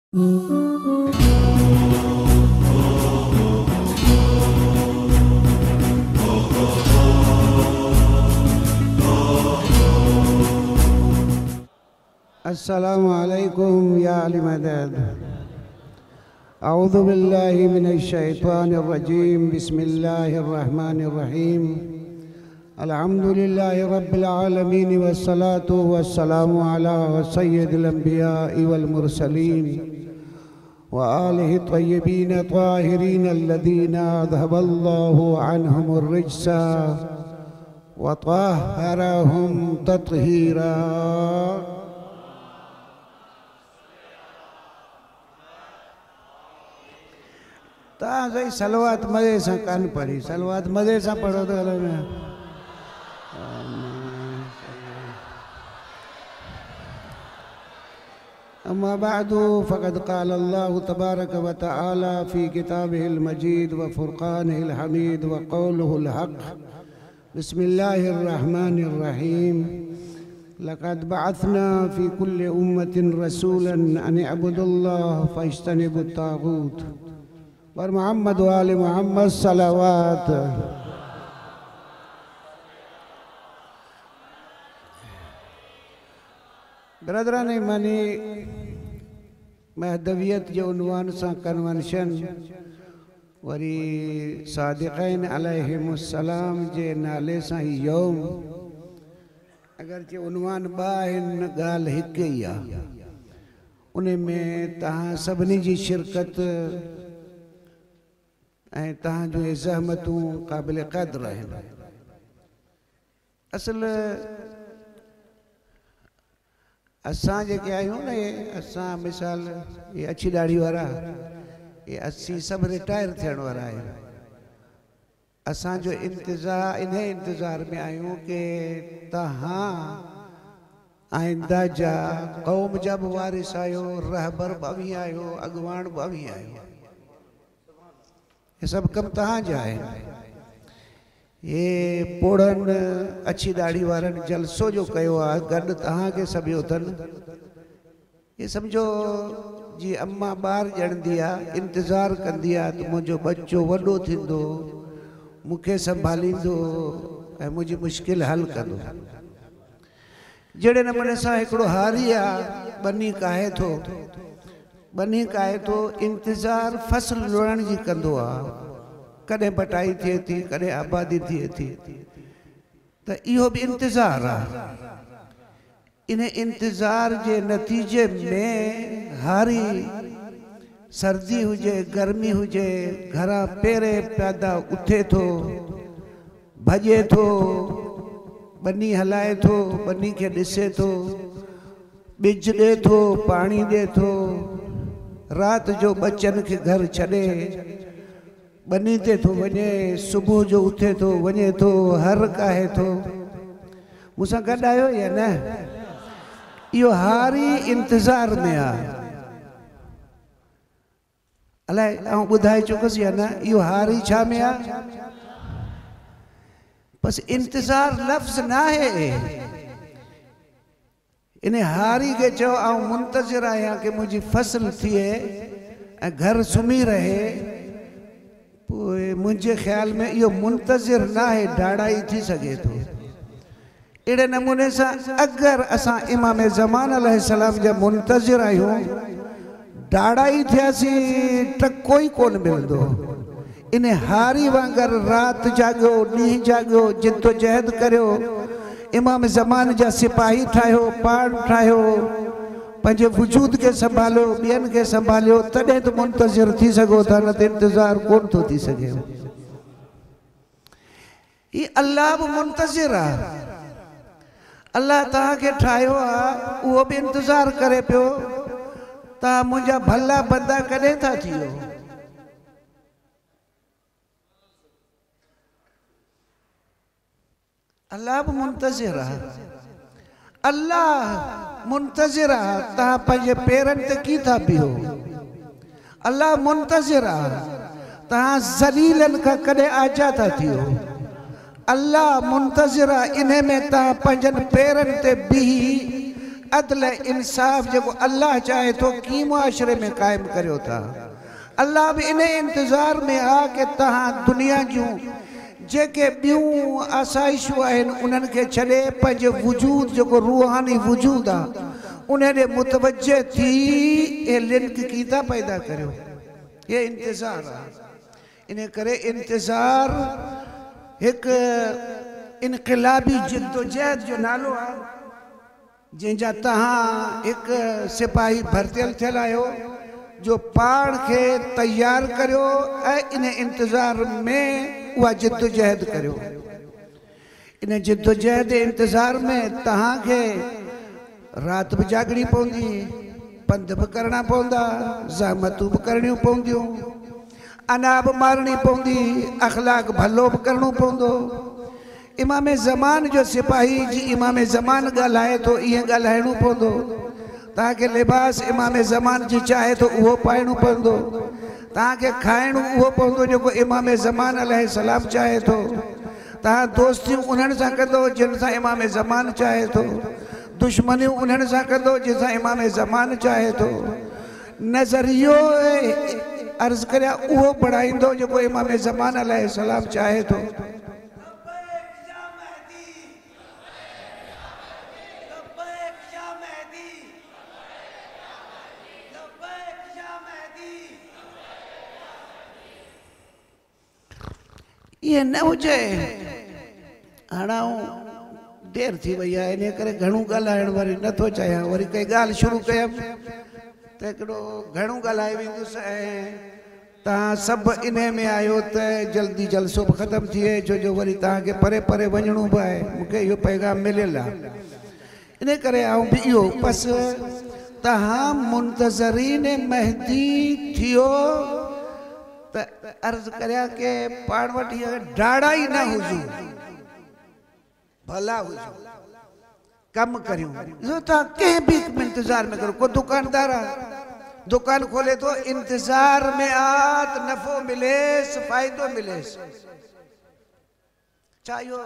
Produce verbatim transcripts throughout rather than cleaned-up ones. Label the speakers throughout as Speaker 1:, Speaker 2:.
Speaker 1: السلام عليكم يا أهل مدد. أعوذ بالله من الشيطان الرجيم. بسم الله الرحمن الرحيم. الحمد لله رب العالمين والصلاة والسلام على سيد الأنبياء والمرسلين وآله الطيبين الطاهرين الذين أذهب الله عنهم الرجس وطهرهم تطهيرا. तव्हां साईं सलवात मज़े सां कान पढ़ी, सलवात मज़े सां पढ़ो त हलो में। अम्मा बाद फ़क़द क़ाल अल्लाहु तबारक व तआला फ़ी किताबिहिल मजीद व फ़ुरक़ानिहिल हमीद व क़ौलुहुल हक़। बिस्मिल्लाहिर रहमानिर रहीम। लक़द बअथना फ़ी कुल्लि उम्मतिन रसूलन अन इअबुदुल्लाह फ़ज्तनिबुत ताग़ूत। पर मोहम्मद वाले मोहम्मद सलावत। बिरादरान ईमानी, महदवियत जे उन्वान सां कन्वेंशन वरी सादिक़ैन अलैहिमुस्सलाम जे नाले सां ही यौम, अगरचे उन्वान ॿ आहिनि, ॻाल्हि हिकु ई आहे। उन में तव्हां सभिनी जी शिरकत ऐं तव्हांजूं इहे ज़हमतूं क़ाबिल क़दर आहिनि। असल असां जेके आहियूं न, इहे असां मिसाल इहे अच्छी ॾाढ़ी वारा, इहे असीं सभु रिटायर थियण वारा आहियूं। असांजो इंतज़ार, इन इंतज़ार में आहियूं की तव्हां आइंदा जा क़ौम जा बि वारिस आहियो, रहबर बि अव्हीं आहियो, अॻवान बि अव्हीं आहियो। ये सभु कमु तव्हांजा आहिनि। ये पोड़नि अच्छी ॾाढ़ी वारनि जलसो जो कयो आहे, गॾु तव्हांखे सभियो अथनि। ये सम्झो जीअं अम्मा ॿार ॼणंदी आहे, इंतज़ार कंदी आहे त मुंहिंजो बचो वॾो थींदो, मूंखे संभालींदो ऐं मुंहिंजी मुश्किल हल कंदो। जहिड़े नमूने सां हिकिड़ो हारी आहे, ॿनी काहे थो, ॿनी काहे थो, इंतज़ार फसल लुणण जी कंदो आहे। कॾहिं बटाई थिए थी, कॾहिं आबादी थिए थी, त इहो बि इंतज़ार आहे। इन इंतज़ार जे नतीजे में हारी सर्दी हुजे गर्मी हुजे, घरां पहिरें प्यादा उथे थो, भॼे थो, ॿनी हलाए थो, ॿनी खे ॾिसे थो, ॿिज ॾिए थो, पाणी ॾिए थो, राति जो बच्चनि खे घर छॾे ॿनी ते थो वञे, सुबुह जो उथे थो वञे थो, हर काहे थो। मूंसां गॾु आहियो या न? इहो हारी इंतज़ार में आहे। अलाए आउं ॿुधाए चुकसि या न? इहो हारी छा में आहे? बसि इंतज़ार लफ़्ज़ न आहे। इन हारी खे चयो आउं मुंतज़िर आहियां की मुंहिंजी फसल थिए ऐं घर सुम्ही रहे। पोइ मुंहिंजे ख़्याल में इहो मुंतज़िर न आहे, डाड़ाई थी सघे थो। अहिड़े नमूने सां अगरि असां इमाम ज़मान अलैहिस्सलाम जा मुंतज़िर आहियूं, डाड़ाई थियासीं त कोई कोन मिलंदो। इन हारी वांगुरु राति जाॻियो, ॾींहुं जाॻियो, जिदोजहद करियो, इमाम ज़मान जा सिपाही ठाहियो, पाण ठाहियो, पंहिंजे वजूद खे संभालियो, ॿियनि खे संभालियो, तॾहिं त मुंतज़िर थी सघो था, न त इंतज़ार कोन थो थी सघे। हीअ अल्लाह बि मुंतज़िर आहे। अल्लाह तव्हांखे ठाहियो आहे, उहो बि इंतज़ार करे पियो तव्हां मुंहिंजा भला बंदा कॾहिं था थियो। अल्लाह बि मुंतज़िर आहे, अल्लाह मुंतज़िर आहे। तव्हां पंहिंजे पेरनि ते कीअं था बीहो? अल्लाह मुंतज़िर आहे। तव्हां ज़लीलनि खां कॾहिं आजा था थियो? अल्लाह मुंतज़िर आहे। इन में तव्हां पंहिंजनि पेरनि ते बीही अदल इंसाफ़ जेको अल्लाह चाहे थो कीअं मुआशरे में क़ाइमु करियो था। अल्लाह बि इन इंतज़ार में आहे की तव्हां दुनिया जूं जेके ॿियूं आसाइशूं आहिनि उन्हनि खे छॾे पंहिंजे वजूद जेको रूहानी वजूद आहे उन ॾे मुतवजह थी इहे लिंक कीअं था पैदा करियो। इहे इंतज़ार आहे। इन करे इंतज़ार हिकु इनक़िलाबी जिदोजहद जो नालो आहे जंहिंजा तव्हां हिकु सिपाही भर्तियल थियल आहियो जो पाण खे तयारु करियो ऐं इन इंतज़ार में उहा जिदोजहद करियो। इन जिदोजहद इंतज़ार में तव्हांखे राति बि जाॻणी पवंदी, पंध बि करणा पवंदा, ज़हमतूं बि करणियूं पवंदियूं, अना बि मारणी पवंदी, अख़लाक भलो बि करिणो पवंदो। इमाम ज़मान जो सिपाही जी इमाम ज़मान ॻाल्हाए थो ईअं ॻाल्हाइणो पवंदो। तव्हांखे लिबास इमाम ज़मान जी चाहे थो उहो पाइणो पवंदो। तव्हांखे खाइणो उहो पवंदो जेको इमाम ज़मान अलैहिस्सलाम चाहे थो। तव्हां दोस्तियूं उन्हनि सां कंदो जिन सां इमाम ज़मान चाहे थो, दुश्मनियूं उन्हनि सां कंदो जिन सां इमाम ज़मान चाहे थो। नज़रियो अर्ज़ करियां उहो बढ़ाईंदो जेको इमाम ज़मान अलैहिस्सलाम चाहे थो। ईअं न हुजे। हाणे आउं देरि थी वई आहे इन करे घणो ॻाल्हाइण वरी नथो चाहियां। वरी कंहिं ॻाल्हि शुरू कयमि त हिकिड़ो घणो ॻाल्हाए वेंदुसि ऐं तव्हां सभु इन में आहियो त जल्दी जलसो बि ख़तमु थिए, छो जो वरी तव्हांखे परे परे वञिणो बि आहे। मूंखे इहो पैगाम मिलियलु आहे, इन करे आउं बि इहो बसि तव्हां मुंतज़रीन महदी थियो त अर्ज़ करियां की पाण वटि इहा डाड़ा ई न हुजूं, भला हुजूं, कमु करियूं। ॾिसो तव्हां कंहिं बि इंतज़ार में करो। को दुकानदार आहे, दुकान खोले थो, इंतज़ार में आहे त नफ़ो मिलेसि, फ़ाइदो मिलेसि। छा इहो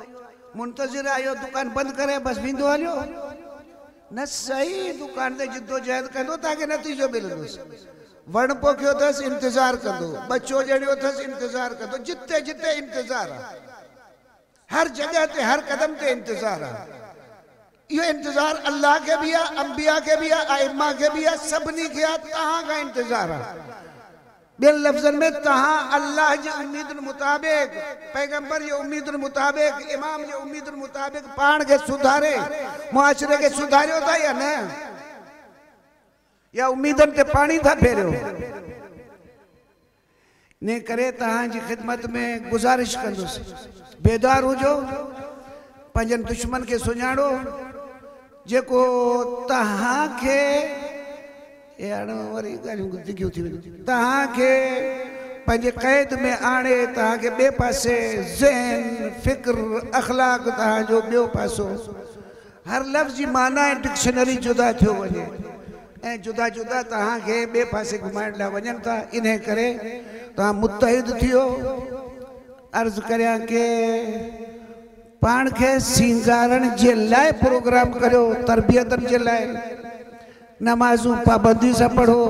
Speaker 1: मुंतज़िर आहे इहो दुकान बंदि करे बसि वेंदो हलियो? न सही, दुकान ते जिदोजहद कंदो तव्हांखे नतीजो मिलंदोसि। वण पोखियो अथसि इंतज़ार कंदो, बच्चो ॼणियो अथसि इंतज़ार कंदो। जिते जिते इंतज़ार आहे, हर जॻह ते हर कदम ते इंतज़ार आहे। इहो इंतज़ार अल्लाह खे बि आहे, अंबिया खे बि आहे, आइमा खे बि आहे, सभिनी खे आहे। तव्हां खां इंतज़ार आहे। ॿियनि लफ़्ज़नि में तव्हां अल्लाह जी उम्मीदुनि मुताबिक़, पैगंबर जी उम्मीदुनि मुताबिक़, इमाम जी उम्मीदुनि मुताबिक़ पाण खे सुधारे मुआशरे खे सुधारियो था या न, या उम्मीदनि ते पाणी था फेरियो? इन करे तव्हांजी ख़िदमत में गुज़ारिश कंदुसि, बेदार हुजो, पंहिंजनि दुश्मन खे सुञाणो जेको तव्हांखे हाणे वरी ॻाल्हियूं डिघियूं थी वञनि, तव्हांखे पंहिंजे क़ैद में आणे तव्हांखे ॿिए पासे ज़हन फ़िक्र अख़लाक तव्हांजो ॿियो पासो, हर लफ़्ज़ जी माना ऐं डिक्शनरी जुदा थियो वञे ऐं जुदा जुदा तव्हांखे ॿिए पासे घुमाइण लाइ वञनि था। इन करे तव्हां मुतहिद थियो। अर्ज़ करियां की पाण खे सींगारण जे लाइ प्रोग्राम करियो, तरबियतनि जे लाइ नमाज़ूं पाबंदी सां पढ़ो।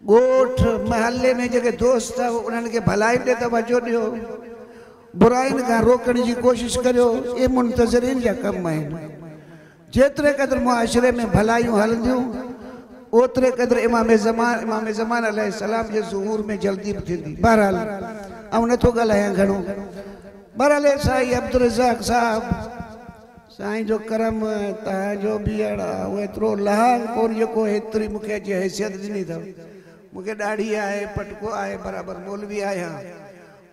Speaker 1: ॻोठ महले में जेके दोस्त अथव उन्हनि खे भलाई ॾे तवजो ॾियो, बुराइनि खां रोकण जी कोशिशि करियो। इहे मुंतज़रीन जा कमु आहिनि। जेतिरे क़दुरु मुआशरे में भलाइयूं हलंदियूं ओतिरे क़दुरु इमाम ज़मान इमाम ज़मान अलैहिस्सलाम जे ज़ुहूर में जल्दी बि थींदी। बहरहाल आउं नथो ॻाल्हायां घणो। बहरहाल साईं अब्दुल रज़ाक साहब साईं जो करम तव्हांजो बि अहिड़ा एतिरो लहांग कोन जेको एतिरी मूंखे अॼु हैसियत ॾिनी अथव। मूंखे ॾाढ़ी आहे, पटको आहे, बराबरि मौलवी आहियां,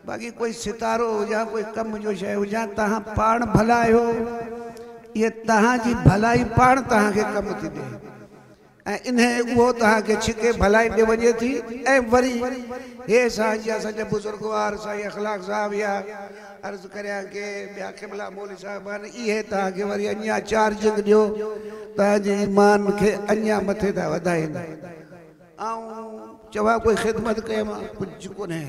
Speaker 1: बाक़ी कोई सितारो हुजां, कोई कम जो शइ हुजां, तव्हां पाण भला आहियो। इहा तव्हांजी भलाई पाण तव्हांखे कमु थी ॾिए ऐं इन उहो तव्हांखे छिके भलाई ॾे वञे थी। ऐं वरी हे असांजा असांजा बुज़ुर्गवार साईं अख़लाक साहब या अर्ज़ करियां की ॿिया क़िबला मौलवी साहब आहिनि, इहे तव्हांखे वरी अञा चार्जिंग ॾियो, तव्हांजे ईमान खे अञा मथे था वधाइनि। ऐं चवां कोई ख़िदमत कयमि कुझु कोन्हे।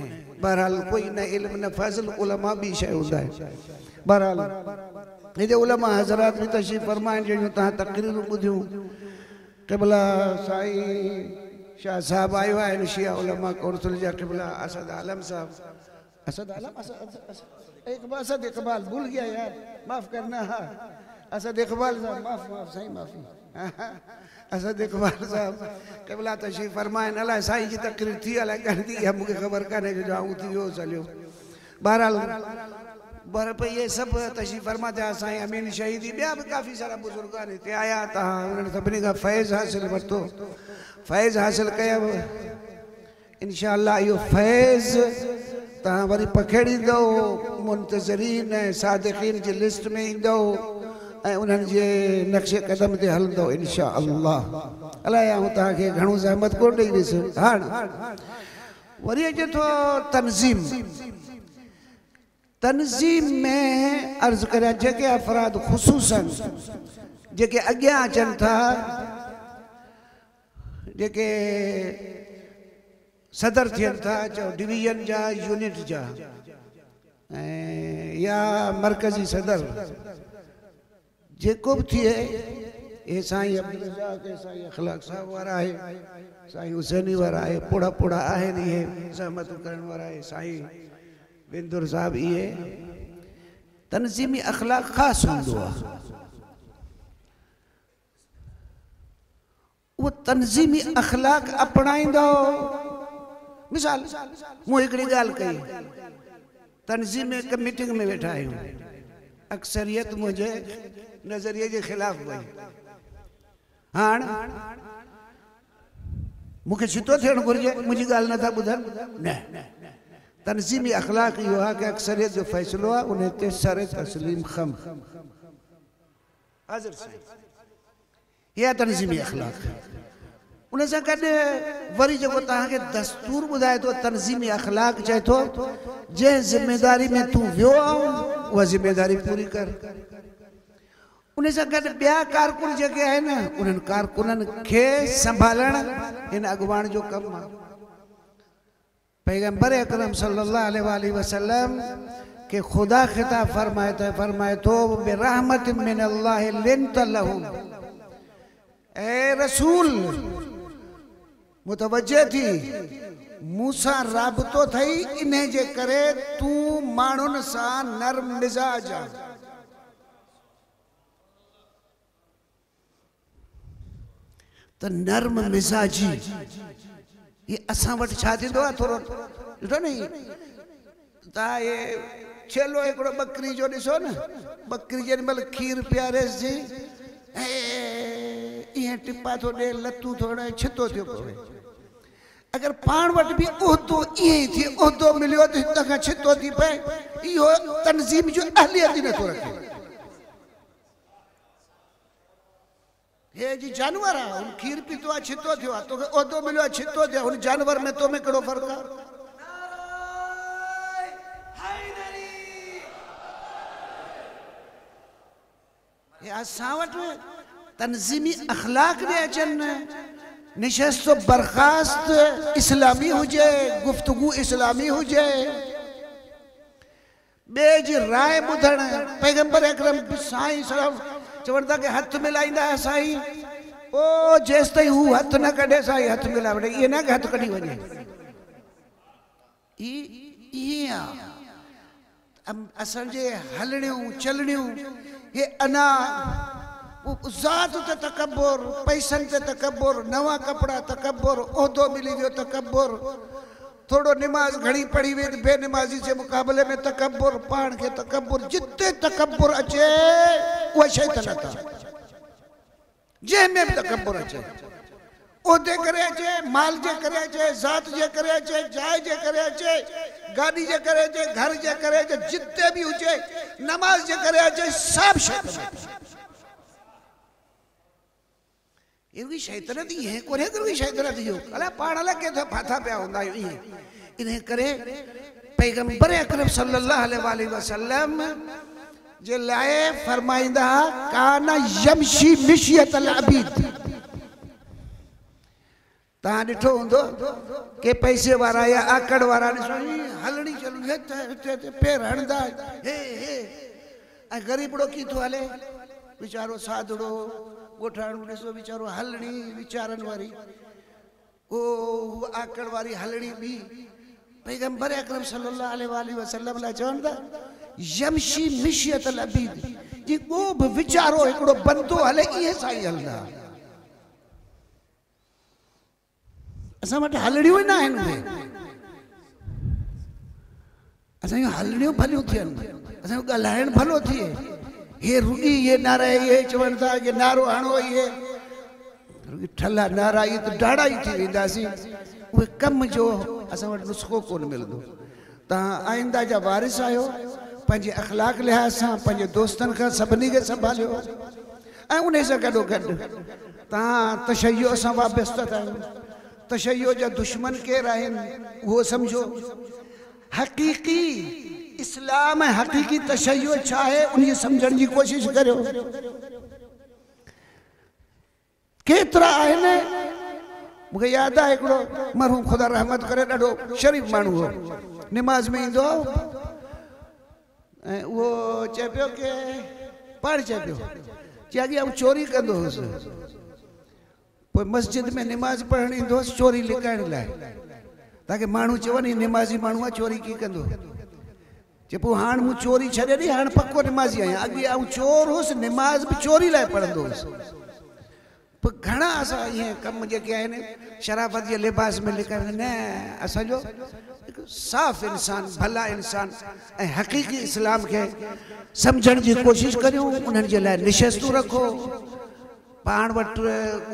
Speaker 1: बहरहाल कोई न इल्म न फज़ल, उलमा बि शइ हूंदा आहिनि। बहरहाल हिते उलमा हज़रात बि तशरीफ़ फरमाइनि जहिड़ियूं तव्हां तकरीरूं ॿुधियूं। क़िबला साईं शाह साहब आयो आहिनि, शिया उलमा कौंसिल जा क़िबला असद आलम साहब, असद आलम असद इकबाल, असद इकबाल भूल गया यार, माफ़ करना। हाँ असद इकबाल साहब, माफ़ माफ़ साईं माफ़ी, असद इकबाल साहब क़िबला तशरीफ़ फरमाइनि। अलाए साईं जी तकरीर थी अलाए कॾहिं थी, इहा मूंखे ख़बर कान्हे जो आऊं थी वियो हलियो। बहरहाल बर पर इहे सभु तशरीफ़ फरमा थिया। साईं अमीन शहीदी, ॿिया बि काफ़ी सारा बुज़ुर्ग आहिनि हिते आया, तव्हां उन्हनि सभिनी खां फैज़ हासिल वरितो, फैज़ हासिल कयो। इनशा अल्लाह इहो फैज़ तव्हां वरी पखेड़ींदव, मुंतज़रीन ऐं सादिक़ीन जी लिस्ट में ईंदव ऐं उन्हनि जे नक्शे कदम ते हलंदव इनशा अल्लाह। अलाए आउं तव्हांखे घणो ज़हमत कोन ॾेई वियुसि। हाणे वरी अचे थो तनज़ीम। तनज़ीम में अर्ज़ करियां जेके अफ़राद ख़ुसूसन जेके अॻियां अचनि था, जेके सदर थियनि था, चओ डिवीज़न जा, यूनिट जा ऐं या मरकज़ी सदर जेको बि थिए, हे साईं अब्दुल रज़ाक, साईं अख़लाक साहब वारा आहे, साईं हुसैनी वारा आहे, पोड़ा पोड़ा आहिनि इहे ज़हमतूं करण वारा आहे, साईं बिंदुर साहब, इहे तनज़ीमी अख़लाक ख़ासि हूंदो आहे। उहो तनज़ीमी अख़लाक अपनाईंदो। मिसाल मूं हिकिड़ी ॻाल्हि कई, तनज़ीम में हिकु मीटिंग में वेठा आहियूं, अक्सरियत मुंहिंजे नज़रिए जे ख़िलाफ़ वई। हाणे मूंखे छितो थियणु घुरिजे, मुंहिंजी ॻाल्हि नथा ॿुधनि। न, तनज़ीमी अख़लाक इहो आहे की अक्सरियत जो फ़ैसिलो आहे उन ते सर तस्लीम ख़म हाज़िर साईं, इहा तनज़ीमी अख़लाक। उन सां गॾु वरी जेको तव्हांखे दस्तूर ॿुधाए थो, तनज़ीमी अख़लाक चए थो जंहिं ज़िम्मेदारी में तूं वियो आहीं उहा ज़िम्मेदारी पूरी कर। उन सां गॾु ॿिया कारकुन जेके आहिनि उन्हनि कारकुननि खे संभालणु हिन अॻवान जो कमु आहे। पैगंबर अकरम सल्लल्लाहु अलैहि वसल्लम के खुदा खिताब फरमाए थे, फरमाए थो बिरहमत मिन अल्लाह लिनत लहुम। ए रसूल मुतवज्जे थी, मूंसां राबितो थई, इन जे करे तूं माण्हुनि सां नरम मिज़ाज आहीं। त नरम मिज़ाजी ये असां वटि छा थींदो आहे, थोरो ॾिठो न, तव्हां हे छेलो हिकिड़ो बकरी जो ॾिसो न, बकरी जेॾी महिल खीर पीआरेसि थी ऐं ईअं टिपा थो ॾिए, लतूं थो हणे, छितो थियो पवे। अगरि पाण वटि बि उहिदो ईअं ई थिए, उहिदो मिलियो त हितां खां छितो थी पए, इहो तनज़ीम जो अहलियत ई नथो रखे। हे जी जानवर आहे, हुन खीर पीतो आहे, छितो थियो आहे, तोखे उहिदो मिलियो आहे, छितो थियो आहे, हुन जानवर में तो में कहिड़ो फ़र्क़ु आहे? हे असां वटि तनज़ीमी अख़लाक ॾे अचनि, निशस्त बर्खास्त इस्लामी हुजे, गुफ्तगू इस्लामी हुजे, ॿिए जी राय ॿुधण। पैगंबर अकरम साईं सलाम चवनि था की हथु मिलाईंदा हुआ साईं, ओ जेसि ताईं हू हथु न कढे साईं हथु मिलाए वठे, इहो न की हथु कढी वञे। ईअं आहे असांजे हलणियूं चलणियूं, हे अना ज़ात ते तकब्बुर, पैसनि ते तकब्बुर, नवां कपिड़ा तकब्बुर, उहिदो मिली वियो तकब्बुर, थोरो नमाज़ घणी पढ़ी वई त बेनमाज़ी जे मुक़ाबले में तकब्बुर, पाण खे तकब्बुर। जिते तकब्बुर अचे उहा शैतानत आहे, जंहिं में बि तकब्बुर अचे, उहिदे करे अचे, माल जे करे अचे, ज़ात जे करे अचे, जाइ जे करे अचे, गाॾी जे करे अचे, घर जे करे अचे, जिते बि हुजे, नमाज़ जे करे अचे, सभु शैतानत। इहो शैतानत ईअं कोन्हे की शैतानत इहो, अलाए पाण अलाए कंहिं फाथा पिया हूंदा आहियूं ईअं। इन करे पैगंबर अकरम सल्लल्लाहु अलैहि वसल्लम जे लाइ फरमाईंदा काना यमशी मिशियतल अबीद। तव्हां ॾिठो हूंदो के पैसे वारा या आकड़ वारा ॾिसो हलणी चलणी हिते हिते पेर हणंदा हे हे। ऐं ग़रीबड़ो कीअं थो हले वीचारो साधड़ो ॻोठाणो ॾिसो वीचारो हलणी वीचारनि वारी ओ आकड़ वारी हलणी ॿी। पैगंबर अकरम सल्लल्लाहु अलैहि वसल्लम लाइ चवनि था यमशी मिशियत अबीद, जी को बि वीचारो हिकिड़ो बंदो हले इहे सां ई हलंदा। असां वटि हलणियूं ई न आहिनि, उहे असांजूं हलणियूं भलियूं थियनि, असांजो ॻाल्हाइणु भलो थिए। हे रुॻी इहे नारा इहे चवनि था की नारो हणो, इहे रुॻी ठल्हा नारा इहे त डाड़ा ई थी वेंदासीं। उहे कम जो असां वटि नुस्ख़ो कोन मिलंदो। तव्हां आइंदा जा वारिस आहियो, पंहिंजे अख़लाक लिहाज़ सां पंहिंजे दोस्तनि खां सभिनी खे संभालियो ऐं उन सां गॾो गॾु तव्हां तशैयो सां वाबस्ता आहियो। तशैयो जा दुश्मन केरु आहिनि उहो सम्झो। हक़ीक़ी इस्लाम ऐं हक़ीक़ी तशैयो छा आहे उनजी सम्झण जी कोशिशि करियो। केतिरा आहिनि, मूंखे यादि आहे हिकिड़ो मरहूम ख़ुदा रहमत करे ॾाढो शरीफ़ माण्हू हो, निमाज़ में ईंदो हो ऐं उहो चए पियो की पाण चए पियो चए अॻे आउं चोरी कंदो हुउसि, पोइ मस्जिद में निमाज़ पढ़णु ईंदो हुउसि चोरी लिकाइण लाइ, ताकि माण्हू चवनि हीउ निमाज़ी माण्हू आहे चोरी कीअं कंदो। चए पोइ हाणे मूं चोरी छॾे ॾिनी, हाणे पको निमाज़ी आहियां, अॻे आउं चोर हुउसि निमाज़ बि चोरी लाइ पढ़ंदो हुउसि। पोइ घणा असां इहे कम जेके आहिनि शराफ़त जे लिबास में लिकाइण न, असांजो हिकु साफ़ इंसान भला इंसान ऐं हक़ीक़ी इस्लाम खे सम्झण जी कोशिशि करियूं। उन्हनि जे लाइ निशस्तूं रखो, पाण वटि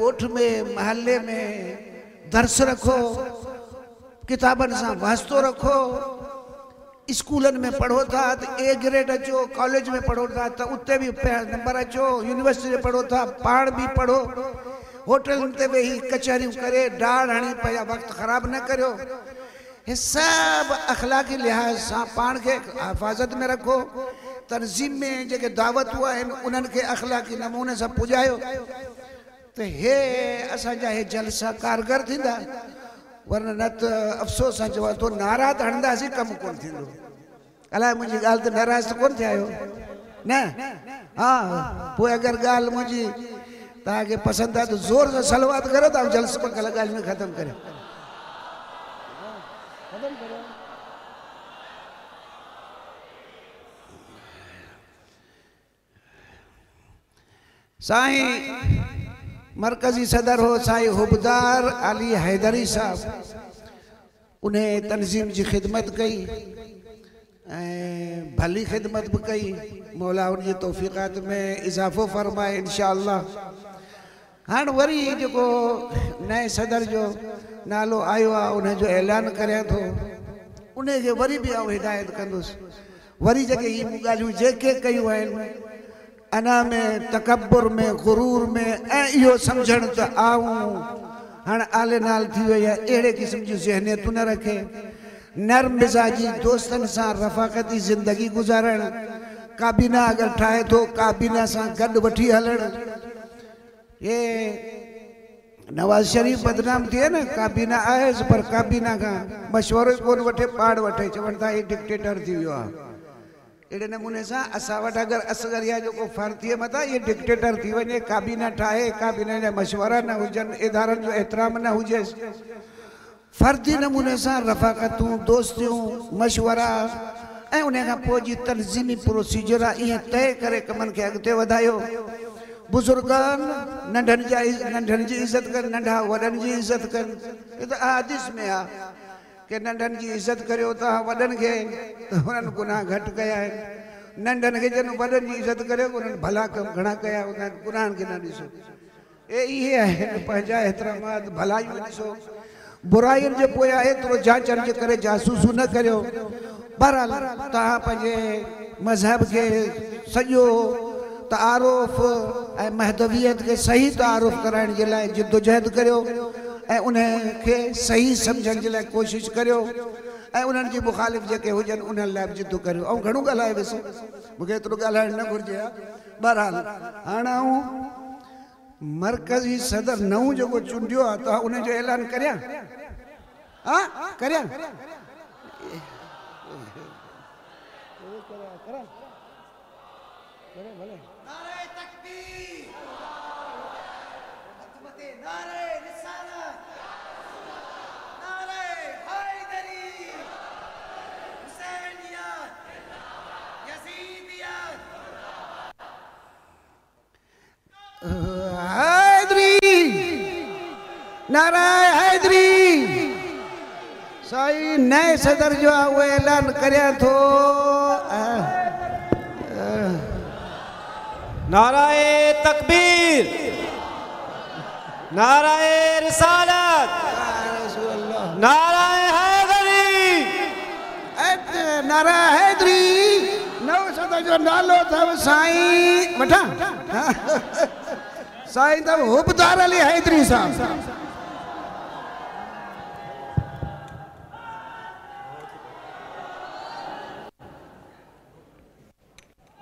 Speaker 1: ॻोठ में महले में दर्स रखो, किताबनि सां वास्तो रखो। स्कूलनि में पढ़ो था त ए ग्रेड अचो, कॉलेज में पढ़ो था त उते बि नंबर अचो, यूनिवर्सिटी में पढ़ो था पाण बि पढ़ो। होटलनि ते वेही कचहरियूं करे डाड़ हणी पंहिंजा वक़्तु ख़राबु न करियो। हे सभु अख़लाक़ी लिहाज़ सां पाण खे हिफाज़त में रखो। तनज़ीम में जेके दावतूं आहिनि उन्हनि खे अख़लाक़ी नमूने सां पुॼायो त हे असांजा हे जलसा कारगर थींदा, वरना न त अफ़सोस सां चवां थो नारा त हणंदासीं कमु कोन थींदो। अलाए मुंहिंजी ॻाल्हि ते नाराज़ त कोन थिया आहियो न? हा, पोइ अगरि ॻाल्हि मुंहिंजी तव्हांखे पसंदि आहे त ज़ोर सां सलवात करो त आउं जलसो कल्ह ॻाल्हि में ख़तमु करियां। साईं मरकज़ी सदर हो साईं हुबदार अली हैदरी साहब, उन तनज़ीम जी ख़िदमत कई ऐं भली ख़िदमत बि कई। मौला उनजी तौफ़ीक़ात में इज़ाफ़ो फरमाए इंशाअल्लाह। हाणे वरी जेको नए सदर जो नालो आयो आहे उनजो ऐलान करियां थो, उनखे वरी बि आउं हिदायत कंदुसि। वरी जेके इहे मूं ॻाल्हियूं जेके कयूं आहिनि अना में तकब्बुर में गुरूर में ऐं इहो सम्झणु त आउं हाणे आले नाल थी वई आहे, अहिड़े क़िस्म जूं ज़हनियतूं न रखे। नरम मिज़ाजी दोस्तनि सां रफ़ाक़ती ज़िंदगी गुज़ारणु, काबीना अगरि ठाहे थो काबीना सां गॾु वठी हलणु। हे नवाज़ शरीफ़ बदनाम थिए न, काबीना आयसि पर काबीना खां मशवरो ई कोन वठे, पाण वठे, चवनि था हे डिक्टेटर थी वियो आहे। अहिड़े नमूने सां असां वटि अगरि असगरिया जो को फ़र्द थिए मथां इहे डिक्टेटर थी वञे, काबीना ठाहे, काबीना जा मशवरा न हुजनि, इदारनि जो एतिराम न हुजेसि, फ़र्दी नमूने सां रफ़ाक़तूं दोस्तियूं मशवरा ऐं उन खां पोइ जी तनज़ीमी प्रोसीजर आहे ईअं तय करे कमनि खे अॻिते वधायो। बुज़ुर्गनि नंढनि जा नंढनि जी इज़त कनि, नंढा वॾनि जी इज़त कनि। हे त हदीस में आहे की नंढनि जी इज़त करियो तव्हां वॾनि खे त हुननि गुनाह घटि कया आहिनि, नंढनि खे जॾहिं वॾनि जी इज़त करियो हुननि भला कमु घणा कया, हुननि गुनाहनि खे न ॾिसो। ऐं इहे आहिनि पंहिंजा एतिरामात, भलायूं ॾिसो, बुराइयुनि जे पोयां एतिरो जांचनि जे करे जासूसूं न करियो। बहरहाल तव्हां पंहिंजे मज़हब खे सॼो तारुफ़ ऐं महदवियत खे सही तारुफ़ कराइण जे लाइ जिदोजहद करियो ऐं उनखे सही सम्झण जे लाइ कोशिशि करियो ऐं उन्हनि जी मुखालिफ़ जेके हुजनि उन्हनि लाइ बि जिदो करियो। ऐं घणो ॻाल्हाए वियुसि, मूंखे एतिरो ॻाल्हाइणु न घुरिजे हा। बहरहाल हाणे आउं मरकज़ी सदर नओं जेको चूंडियो आहे त उनजो ऐलान करियां? हा करियां?
Speaker 2: नारे तकबीर, नारे रिसालत, नारे हैदरी, हुसैनियत, यजीदियत।
Speaker 1: हैदरी, नारा हैदरी। साईं नए सदर जो आहे उहो ऐलान करियां थो।
Speaker 3: नाराए तकबीर, नाराए रिसालत, नाराए हैदरी,
Speaker 1: नारा हैदरी। नओं सदर जो नालो अथव साईं वठां साईं अथव हुबदार अली हैदरी साहब।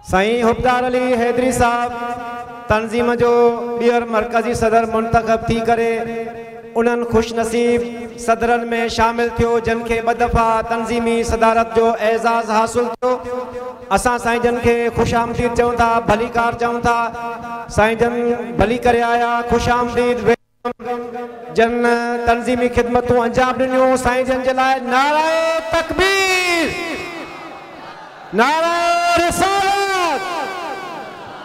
Speaker 3: साईं हुबदार अली हैदरी साहब तंज़ीम जो ॿीहर मरकज़ी सदर मुंतख़ब थी करे उन्हनि ख़ुश नसीब सदरनि में शामिल थियो जन खे ॿ दफ़ा तंज़ीमी सदारत जो एज़ाज़ हासिल थियो। असां साईं जन खे ख़ुशि आमदीद चऊं था, भलीकार चऊं था। साईं जन भली करे आया, ख़ुशि आमदीद। जन तंज़ीमी ख़िदमतूं अंजाम ॾिनियूं साईं जन जे लाइ नाराए तकबीर, नाराए रिसालत,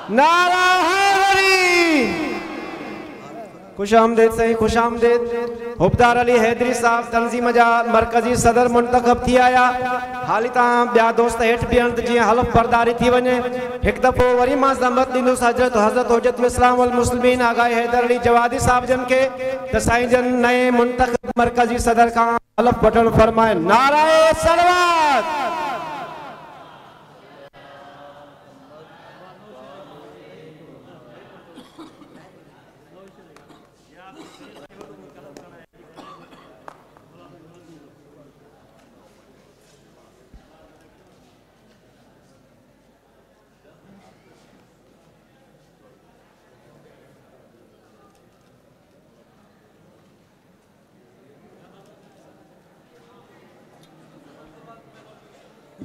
Speaker 3: नारा हैदरी। खुश आमदीद साईं, खुश आमदीद। हुबदार अली हैदरी साहब तंज़ीम जा मरकज़ी सदर मुंतख़ब थी आया। हाली तव्हां ॿिया दोस्त हेठि बीहनि त जीअं हलफ बरदारी थी वञे। हिकु दफ़ो वरी मां ज़हमत ॾींदुसि हज़रत हज़रत हुज्जतुल इस्लाम वल मुस्लिमीन आगा हैदर अली जवादी साहब जन खे त साईं जन नए मुंतख़ब मरकज़ी सदर खां हलफ वठणु फरमाइनि। नाराए सलवात।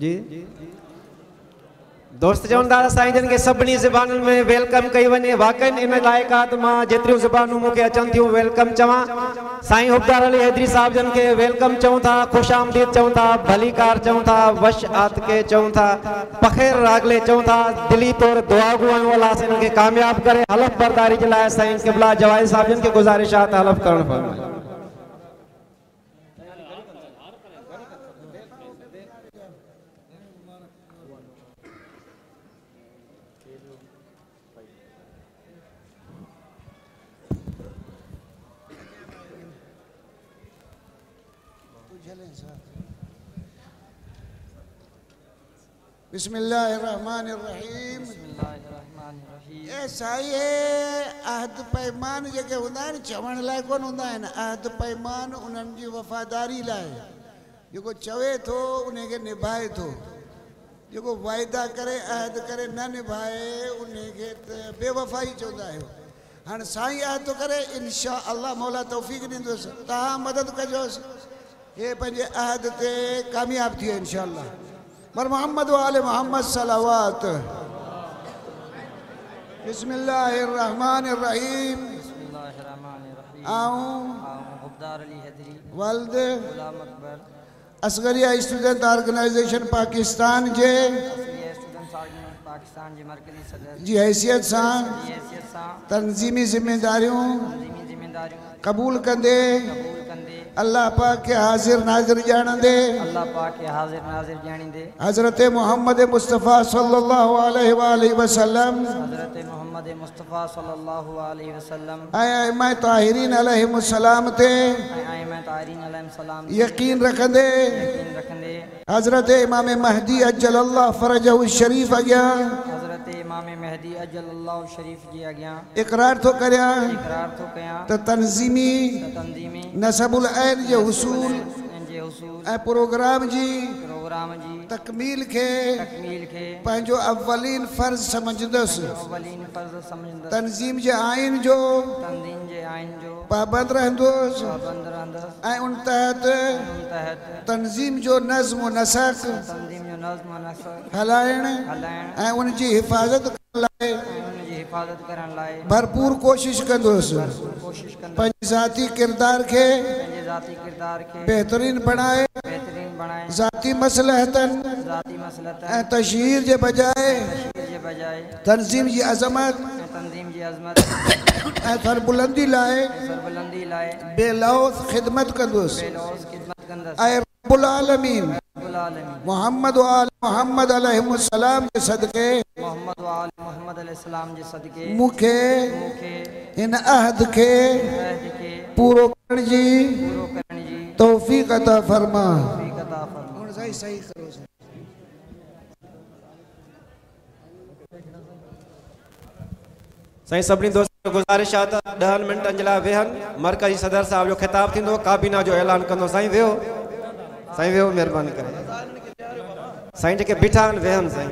Speaker 3: जी दोस्त चवनि था साईं जन खे सभिनी ज़बानुनि में welcome कई वञे। वाकई इन लाइक़ आहे त मां जेतिरियूं ज़बानूं मूंखे अचनि थियूं welcome चवां। साईं हुबदार अली हैदरी साहब जन खे welcome चऊं था, ख़ुशि आमदीद चऊं था, भलीकार चऊं था, वश आतके चऊं था, पखेर रागले चऊं था। दिली तौर दुआ गो आहियूं अलाह साईं खे कामयाब करे। हलफ बरदारी जे लाइ साईं क़िबला जवाई साहब जन खे गुज़ारिश आहे त हलफ करणु फरमाए।
Speaker 1: बिस्मिल्लाहिर्रहमानिर्रहीम। ए साईं, अहद पैमान जेके हूंदा आहिनि चवण लाइ कोन हूंदा आहिनि। अहद पैमान उन्हनि जी वफ़ादारी लाइ, जेको चवे थो उनखे निभाए थो, जेको वाइदा करे अहद करे न निभाए उनखे त बेवफ़ाई चवंदा आहियो। हाणे साईं अहद थो करे, इनशा अल्लाह मौला तौफ़ीक़ ॾींदुसि, तव्हां मदद कजोसि, हे पंहिंजे अहद ते कामयाब थी वियो इनशा अल्लाह। पर मोहम्मद वाले मोहम्मद सलावत। बिस्मिल्लाहिर्रहमानिर्रहीम। आऊं वल्द असगरिया स्टूडेंट ऑर्गेनाइजेशन पाकिस्तान जे जी हैसियत सां तंज़ीमी ज़िम्मेदारियूं क़बूल कंदे अल्लाह पाक खे हाज़िर नाज़िर ॼाणंदे
Speaker 2: अल्लाह पाक खे हाज़िर नाज़िर ॼाणींदे
Speaker 1: हज़रत मोहम्मद मुस्तफ़ा सल्लल्लाहु अलैहि वालैहि वसल्लम
Speaker 2: हज़रत मोहम्मद मुस्तफ़ा सल्लल्लाहु अलैहि वसल्लम
Speaker 1: ऐं आइमा ताहिरीन अलैहिमुस्सलाम ते
Speaker 2: ऐं आइमा ताहिरीन अलैहिमुस्सलाम
Speaker 1: यकीन रखंदे
Speaker 2: यकीन रखंदे
Speaker 1: हज़रत इमाम महदी अज्जलल्लाह फ़रजहु शरीफ़ अॻियां
Speaker 2: हज़रत इमाम महदी अज्जलल्लाह शरीफ़ जे अॻियां
Speaker 1: इक़रार थो करियां
Speaker 2: इक़रार थो कयां
Speaker 1: त तंज़ीमी
Speaker 2: तंज़ीमी
Speaker 1: नसबुल ऐन जे हुसूल ऐं प्रोग्राम जी
Speaker 2: प्रोग्राम जी
Speaker 1: तकमील खे
Speaker 2: तकमील खे
Speaker 1: पंहिंजो अवलीन फ़र्ज़ सम्झंदुसि
Speaker 2: अवलीन फ़र्ज़ सम्झंदुसि
Speaker 1: तंज़ीम जे आइन जो
Speaker 2: तंज़ीम जे आइन जो
Speaker 1: पाबंद रहंदुसि
Speaker 2: पाबंद रहंदुसि
Speaker 1: ऐं उन तहत
Speaker 2: उन तहत
Speaker 1: तंज़ीम जो नज़्म व नसक
Speaker 2: तंज़ीम जो नज़्म व नसक
Speaker 1: हलाइण
Speaker 2: हलाइण
Speaker 1: ऐं उन जी हिफाज़त
Speaker 2: हिफ़ाज़त करण लाइ
Speaker 1: भरपूर कोशिश कंदुसि।
Speaker 2: कोशिश कंदुसि।
Speaker 1: पंहिंजे ज़ाती किरदार खे
Speaker 2: पंहिंजे ज़ाती किरदार खे
Speaker 1: बहितरीन बणाए
Speaker 2: बहितरीन बणाए
Speaker 1: ज़ाती मसलहतनि
Speaker 2: ज़ाती मसलहतनि
Speaker 1: ऐं तशहीर जे बजाए
Speaker 2: तशहीर जे बजाए
Speaker 1: तंज़ीम जी अज़मत
Speaker 2: ऐं तंज़ीम जी अज़मत
Speaker 1: ऐं सरबुलंदी लाइ
Speaker 2: सरबुलंदी लाइ
Speaker 1: बेलौस ख़िदमत कंदुसि।
Speaker 2: बेलौस ख़िदमत कंदुसि।
Speaker 1: ऐं रब्बुल आलमीन
Speaker 2: रब्बुल आलमीन
Speaker 1: मोहम्मद व आल मोहम्मद अलैहिस्सलाम जे सदके
Speaker 2: मोहम्मद व आल मोहम्मद अलैहिस्सलाम जे सदके
Speaker 1: मूंखे
Speaker 2: मूंखे
Speaker 1: हिन अहद खे
Speaker 2: अहद खे
Speaker 1: पूरो करण जी
Speaker 2: पूरो करण जी
Speaker 1: तौफ़ीक़ अता फरमा।
Speaker 2: तौफ़ीक़ अता फरमा।
Speaker 1: सही सही करो।
Speaker 3: साईं सभिनी दोस्तनि खे गुज़ारिश आहे त ॾहनि मिंटनि जे लाइ वेहनि। मरकज़ी सदर साहिब जो ख़िताब थींदो, काबीना जो ऐलान कंदो। साईं वेहो, साईं वेहो, महिरबानी करे। साईं जेके बीठा आहिनि वेहनि। साईं